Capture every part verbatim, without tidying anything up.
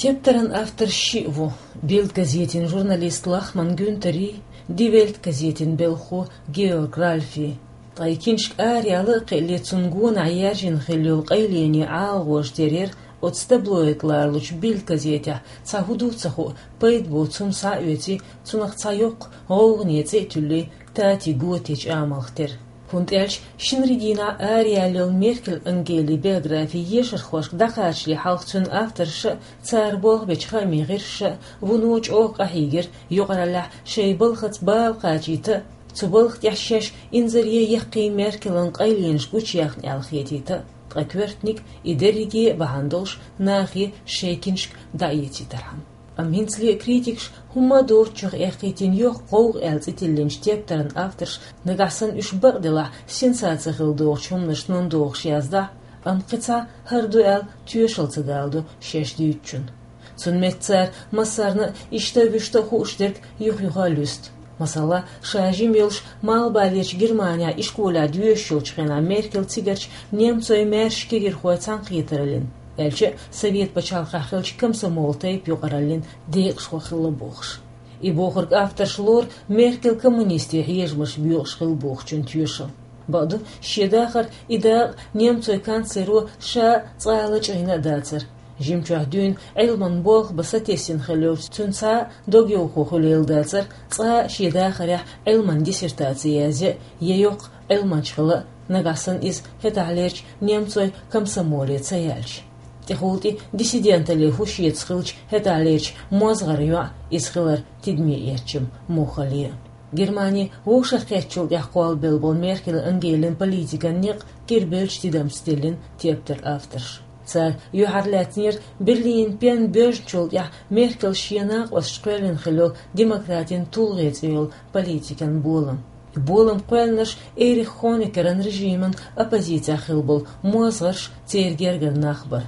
Тептаран автор шиъ ву: Бильд газетин журналист Лахман Гюнтери, Ди Вельт газетин белхо Георг Ральфи. Ткъа и киншка араяла а кхиале, цун гонахьа яьржина хилла йола къайлений ӀалагӀожа терра оцу таблоид лоруш йолчу Бильд газетехь цхьа хӀун ду ца хуу, пайда боцу хӀума схьаоьций, цунах цхьа йоккха гӀовгӀане цӀе а туьллий, Тати Готечу амалх терра. ХӀунда аьлча шинарин дийнахь араяьлла йолу Меркель Ангелин биографи ешархошка дӀакхачале хьалха цуьнан авторша а, цара болх бечу хаамийн гӀирсаша а вуно чӀогӀа къахьийгира юкъараллехь шайн балхаца бала кхачийта а, цу балха тӀехь шаьш инзаре яккхий Меркелан къайленаш гучуяхна аьлла хетийта а, ткъа коьртаниг и дерриге а бахьана долуш нахе шайн киншка дӀаэцийтархьама. Амма хӀинцале а критикаша хӀумма а доцучух эккхийтина йоккха гӀовгӀа аьлла цӀе тиллинчу тептаран авторша, нагахь санна уьш бакъделахь сенсаци хила догӀучу хӀуманашна догӀуш яздахь а, амма кхин цхьа хӀара ду аьлла тоьшалла ца даладо шаьш дуьйцучунна. Цунна метта цара массарна а иштта а вуьшта а хууш дерг юх-юха а луьсту. Масала, ша жима йолуш Малхбалерчу Германехь ишколехь доьшуш йолчу хенахь Меркель цигарчу немцойн маьрша кегирхойн цхьаьнакхетараллин, аьлча а Совет пачхьалкхехь хиллачу комсомол тайпа юкъараллин декъашхо хилла бохуш. И бохург авторша лору Меркель коммунистийн хьежамаш боькъуш хилла бохучун тоьшалла. Бакъду, шен дахар и дакъа немцойн канцлеро ша а цкъа а лачкъийна а дацара. Жимчохь дуьйна Ӏилманан болх бан сатесна хилла йолчу цуьнан цхьа а догйовхо хуьлийла дацара, цкъа а шен дахарехь Ӏилманан диссертаци язъян а, я йоккха Ӏилманча хила а, нагахь санна иза хӀетахьлерчу немцойн комсомоле ца яьлча. ТӀехула тӀе диссиденталле хӀу шеца хилча, хӀетахьлерчу мозгӀаран йоӀ иза хилар тидаме эцча-м муха ле а. Германи вовшахкхеттачул тӀаьхьа кхоллабелла болу Меркель Ангелин политикан некъ кӀирбелча тидамца тиллина тептар авторша. Цара юьхьарлаьцнера Берлинан пен боьжначул тӀаьхьа Меркель шен накъосташа кхоьллина хилла йолу демократин тулгӀе цӀе йолу политикан болам. И болам кхоьллинарш Эрих Хонекеран режиман оппозицехь хилла болу мозгӀарш, церан гергара нах бара.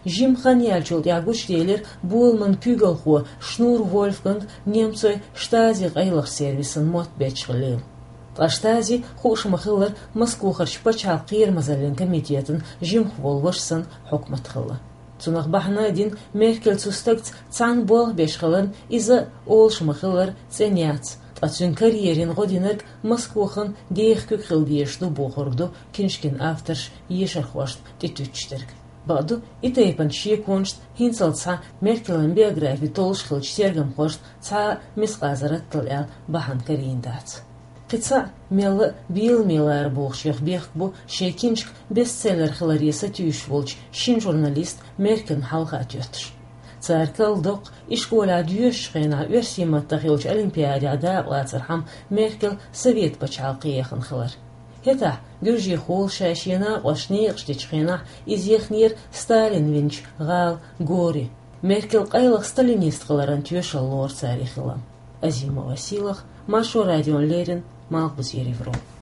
Жима хан яьллачул тӀаьхьа гучуделира боламан куьйгалхо Шнур Вольфганг немцойн Штази къайлахчу сервисан мотт бетташ хилла. Ткъа Штази, хууш ма-хиллара, Москвахарчу пачхьалкхан кхерамазаллин комитетан жимах волу ваша санна хьукмат хилла. Цунах бахьана а дина, Меркель цу стагца цхьаьна болх беш хиларна, иза, олуш ма-хиллара, цӀена яц, ткъа цуьнан карьерина гӀо динарг Москвахана деха куьг хила дезаш ду бохург ду киншкин авторша ешархошна тӀетуьттуш дерг. Бакъду, и тайпана шеконашна хӀинццалц схьа Меркелан биографи толлуш хиллачу тергамхошна цхьа а мискъазарраттал аьлла бахьана карийна дац. Кхин цхьа а мелла а беламе лара бохучех бехк бу шайн киншка бестселлер хиларе сатуьйсуш волчу шина журналиста Меркелна хьалха а тоьттуш. Цара карладоккху ишколехь доьшучу хенахь оьрсийн маттахь йолчу олимпиадехь дакъалацархьама Меркель Совет пачхьалкхе яхана хилар. ХӀетахь, гуьржехула ша шен накъосташна некъаш дечу хенахь, иза яхнера Сталин винчу гӀала Гори. Меркель къайлаха сталинист хиларан тоьшалла лору цара и хилам. Азимова Силах, Маршо радиона леррина, Малхбузера Европа.